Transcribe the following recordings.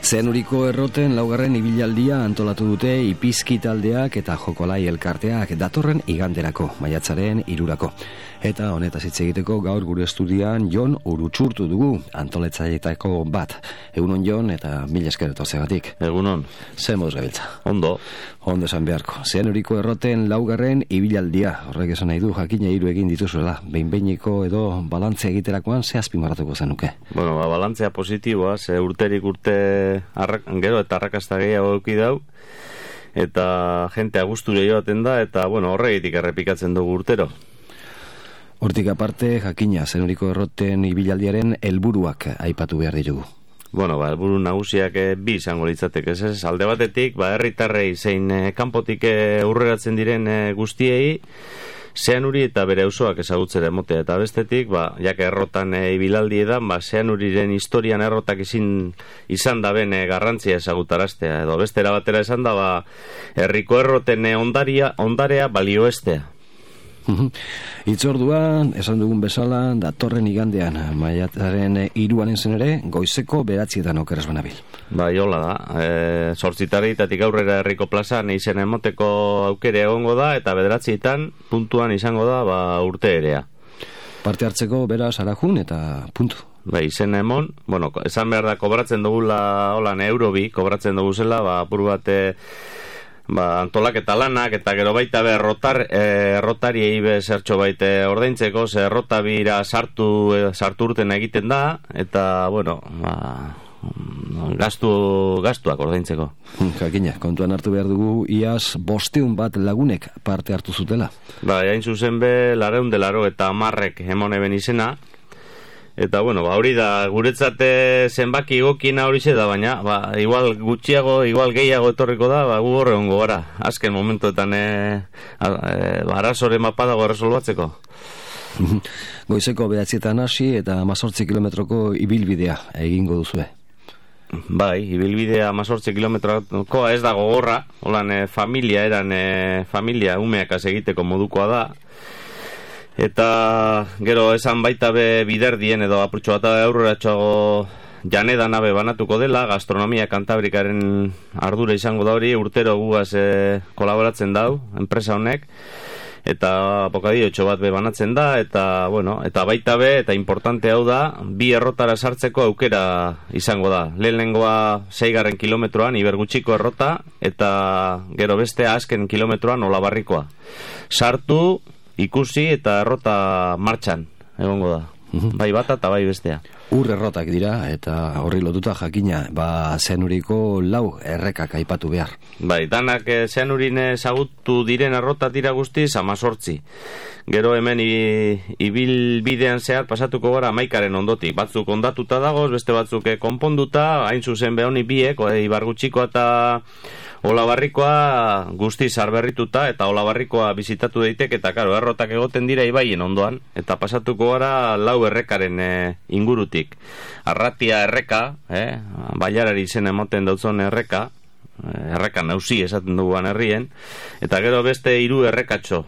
Zeanuriko erroten laugarren ibilaldia antolatu dute Ipizki taldeak eta Jokolai elkarteak datorren iganderako, maiatzaren 3. Eta honetaz hitz egiteko gaur gure estudian Jon Urutsurtu dugu, antolatzaileetako bat. Egunon Jon eta mila esker etortzeagatik. Egunon. Zer moduz gabiltza? Ondo. Ondo esan beharko. Zeanuriko erroten laugarren ibilaldia. Horrek esan nahi du jakina 3 egin dituzuela. Behin-behineko edo balantzea egiterakoan ze azpimarratuko zenuke? Bueno, balantzea positiboa, ze urterik urte gero eta arrakasta gehiago eduki dau, eta jentea gusture joaten da, eta bueno, horregitik errepikatzen dugu urtero. Hortik aparte, jakina, Zeanuriko erroten ibilaldiaren helburuak aipatu behar ditugu. Bueno, helburu nagusiak bi izango litzateke, ez alde batetik, herritarrei zein kanpotik urreratzen diren guztiei, Zeanuri eta bere auzoak ezagutzera emotea, eta bestetik, jake errotan ibilaldi edan, Zeanuriren historian errotak izan da ben garrantzia ezagutaraztea, edo bestera batera esan da, herriko erroten ondarea balioestea. Itzorduan, esan dugun bezala, datorren igandean, maiatzaren 3 zen ere, goizeko 9 okeraz banabil. Hola da, 8:00 aurrera herriko plazan izen emoteko aukere egongo da, eta 9:00 puntuan izango da urte erea. Parte hartzeko beraz arajun eta puntu. Izen emon, esan behar da, kobratzen dugula, holan eurobi, kobratzen dugu zela, apur bat antolak eta lanak, eta gero baita errotariei zertxo baite ordaintzeko, ze errotabira sartu urten egiten da, eta, gastuak ordaintzeko. Jakina, kontuan hartu behar dugu, iaz 500 bat lagunek parte hartu zutela. Hain zuzen be, 480 eta 10 emon eben izena, eta, hori da, guretzat zenbaki egokina hori da, baina, igual gutxiago, igual gehiago etorriko da, gu horre hongo gara. Azken momentuetan, arazore mapadago erresolbatzeko. Goizeko 9:00 hasi eta 18 kilometroko ibilbidea egingo duzue. Ibilbidea 18 kilometroko ez da gogorra, holan familia umeakaz egiteko modukoa da. Eta gero esan baita be biderdien edo apurtxo bat aurreratxoago janeda nabe banatuko dela, gastronomia Kantabrikaren ardura izango da hori, urtero gugaz kolaboratzen dau, enpresa honek, eta bokadillo bat be banatzen da, eta eta baita be, eta importante hau da, 2 errotara sartzeko aukera izango da. Lehenengoa 6. kilometroan, Ibergutxiko errota, eta gero bestea azken kilometroan Olabarrikoa. Sartu, ikusi eta errota martxan egongo da. Bai bata eta bai bestea. Errotak dira eta horri lotuta jakina, Zeanuriko 4 errekak aipatu behar. Danak Zeanurin ezagutu diren errotat dira guztiz 18. Gero hemen ibilbidean zehar pasatuko gara 11 ondotik. Batzuk ondatuta dagoz, beste batzuk konponduta, hain zuzen behoni biek, Ibargutxikoa eta Olabarrikoa guzti zarberrituta, eta Olabarrikoa bizitatu daiteke, eta karo, errotak egoten dira ibaien ondoan, eta pasatuko gara 4 errekaren ingurutik. Arratia erreka, bailarari izen emoten dautzon erreka nausi esaten duguan herrien, eta gero beste 3 errekatxo,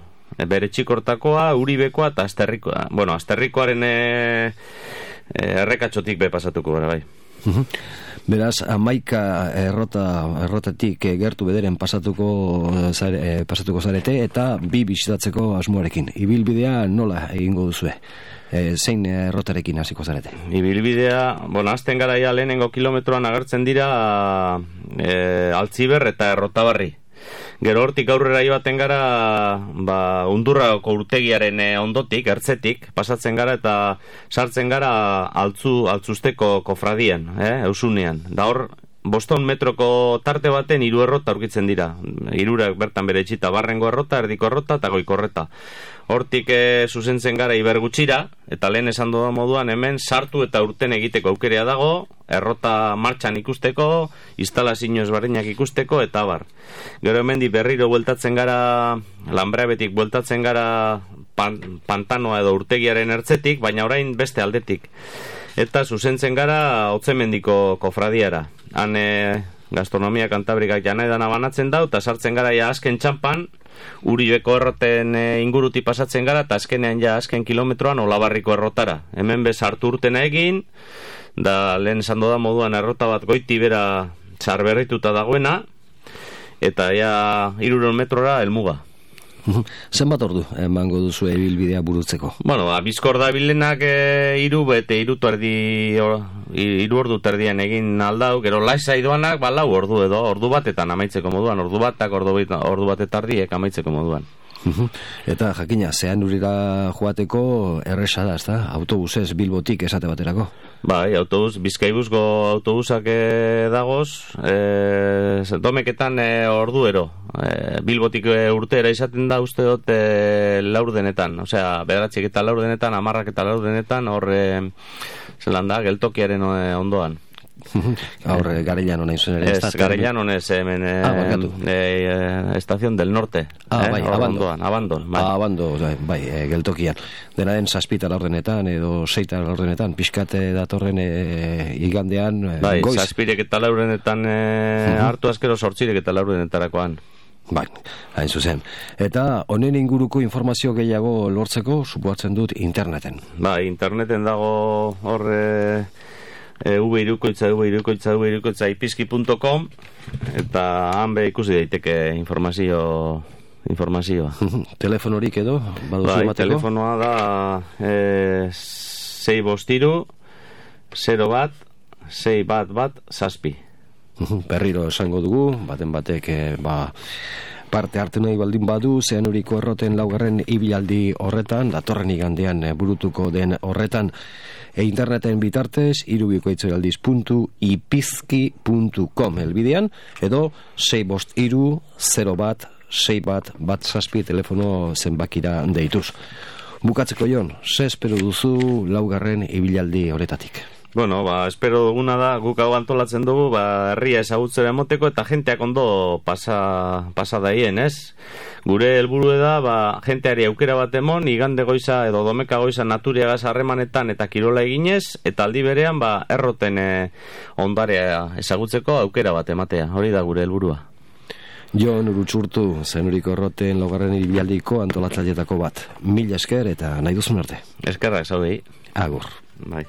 bere txikortakoa, Uribekoa eta Asterrikoa. Asterrikoaren errekatxotik be pasatuko gara, bai. Beraz, 11 errotatik gertu bederen pasatuko zarete eta 2 bisitatzeko asmoarekin. Ibilbidea nola egingo duzue? Zein errotarekin hasiko zarete? Ibilbidea, azten gara lehenengo kilometroan agertzen dira Altziber eta Errotabarri. Gero hortik aurrera joaten gara Undurrako urtegiaren ondotik, ertzetik, pasatzen gara eta sartzen gara altzusteko kofradian, Eusunean. Da hor, 500 metroko tarte baten 3 errota aurkitzen dira. 3 bertan bere etxita, barrengo errota, erdiko errota eta goiko errota. Hortik zuzentzen gara Ibergutxira, eta lehen esan doda moduan hemen sartu eta urten egiteko aukerea dago, errota martxan ikusteko, instalazio ezberdinak ikusteko, eta bar. Gero hemen berriro bueltatzen gara, Lanbreabetik bueltatzen gara pantanoa edo urtegiaren ertzetik, baina orain beste aldetik. Eta zuzentzen gara Otzemendiko kofradiara. Han gastronomia Kantabrikak janaedana banatzen dau, eta sartzen gara azken txampan, Uribeko erroten inguruti pasatzen gara, eta azkenean azken kilometroan Olabarriko errotara. Hemen bez hartu urtena egin, da lehen esan da moduan errota bat goiti bera sarberrituta dagoena, eta ja 300 metrora helmuga. Zenbat ordu emango duzu ibilbidea burutzeko? Bueno, Bizkor da bilenak 3 ordu terdian egin aldau, gero laizai doanak 4 ordu edo, ordu batetan amaitzeko moduan, ordu bat eta erdiek amaitzeko moduan. Eta jakina, zean urira joateko erresa da, ezta? Autobusez Bilbotik esate baterako? Bai, Bizkaibuzko autobusak dagoz, domeketan orduero. Bilbotik urtera izaten da uste dut laurdenetan, osea, 9 eta laurdenetan, 10 eta laurdenetan, horre zelan da, geltokiaren ondoan. Aurre Garellano nahi zuen ere. Ez, Garellano ez, hemen Estación del Norte. Bai, Abandon. Bai, geltokian. Dena den 7 laurdenetan edo 6 laurdenetan, pixkate datorren igandean bai, goiz. 7 eta laurdenetan hartu azkero 8 eta laurdenetarakoan. Bai, hain zuzen. Eta honen inguruko informazio gehiago lortzeko, supoatzen dut interneten. Bai, interneten dago horre virukoitza ipizki.com eta han be ikusi daiteke informazioa. Telefonorik edo? Bai, telefonoa da 653 01 611 7. Berriro esango dugu, baten batek parte hartu nahi baldin badu, Zeanuriko erroten 4. ibilaldi horretan, datorren igandean burutuko den horretan, interneten bitartez, irubikoitzoaldiz.ipizki.com elbidean, edo 653 01 611 telefono zenbakira deituz. Bukatzeko Jon, ze espero duzu 4. ibilaldi horretatik? Bueno, espero duguna da, guk hau antolatzen dugu, herria ezagutzera emoteko eta jenteak ondo pasa daien, ez? Gure helburu da, jenteari aukera bat emon, igande goiza edo domeka goiza naturiagaz harremanetan eta kirola eginez, eta aldi berean, erroten ondarea ezagutzeko aukera bat ematea, hori da gure helburua. Jon Urutsurtu, Zeanuriko erroten 4. ibialdiko antolatzaileetako bat. Mila esker eta nahi duzun arte. Eskerrak, zaudei. Agur. Bai.